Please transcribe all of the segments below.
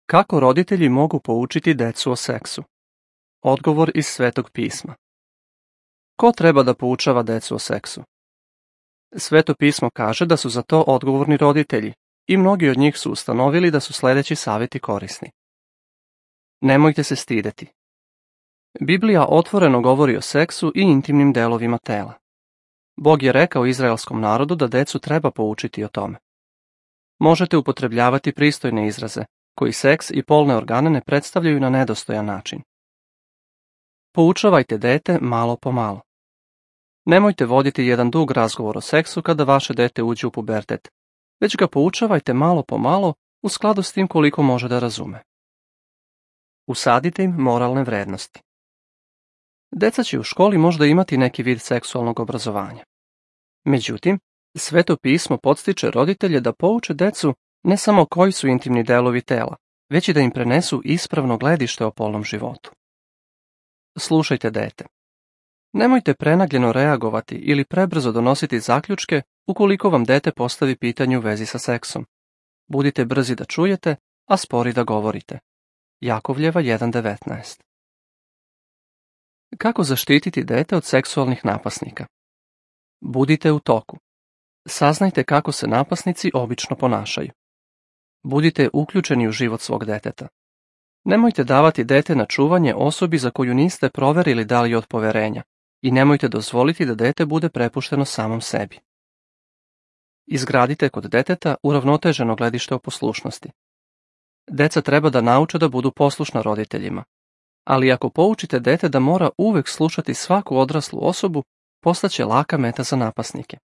Kako roditelji mogu poučiti decu o seksu? Odgovor iz Svetog pisma. Ko treba da poučava decu o seksu? Sveto pismo kaže da su za to odgovorni roditelji i mnogi od njih su ustanovili da su sledeći savjeti korisni. Nemojte se stideti. Biblija otvoreno govori o seksu i intimnim delovima tela. Bog je rekao izraelskom narodu da decu treba poučiti o tome. Možete upotrebljavati pristojne izraze, koji seks i polne organe ne predstavljaju na nedostojan način. Poučavajte dete malo po malo. Nemojte voditi jedan dug razgovor o seksu kada vaše dete uđe u pubertet, već ga poučavajte malo po malo u skladu s tim koliko može da razume. Usadite im moralne vrednosti. Deca će u školi možda imati neki vid seksualnog obrazovanja. Međutim, Sveto pismo podstiče roditelje da pouče decu ne samo koji su intimni delovi tela, već i da im prenesu ispravno gledište o polnom životu. Slušajte dete. Nemojte prenagljeno reagovati ili prebrzo donositi zaključke ukoliko vam dete postavi pitanje u vezi sa seksom. Budite brzi da čujete, a spori da govorite. Jakovljeva 1.19. Kako zaštititi dete od seksualnih napasnika? Budite u toku. Saznajte kako se napasnici obično ponašaju. Budite uključeni u život svog deteta. Nemojte davati dete na čuvanje osobi za koju niste proverili da li je od poverenja i nemojte dozvoliti da dete bude prepušteno samom sebi. Izgradite kod deteta uravnoteženo gledište o poslušnosti. Deca treba da nauče da budu poslušna roditeljima, ali ako poučite dete da mora uvek slušati svaku odraslu osobu, postaće laka meta za napasnike.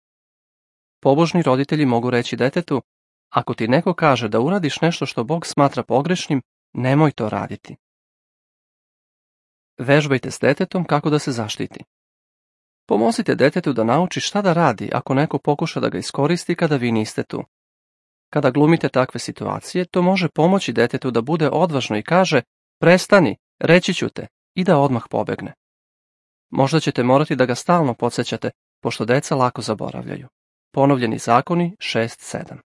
Pobožni roditelji mogu reći detetu: ako ti neko kaže da uradiš nešto što Bog smatra pogrešnim, nemoj to raditi. Vežbajte s detetom kako da se zaštiti. Pomozite detetu da nauči šta da radi ako neko pokuša da ga iskoristi kada vi niste tu. Kada glumite takve situacije, to može pomoći detetu da bude odvažno i kaže: prestani, reći ću te, i da odmah pobegne. Možda ćete morati da ga stalno podsjećate, pošto deca lako zaboravljaju. Ponovljeni zakoni 6.7.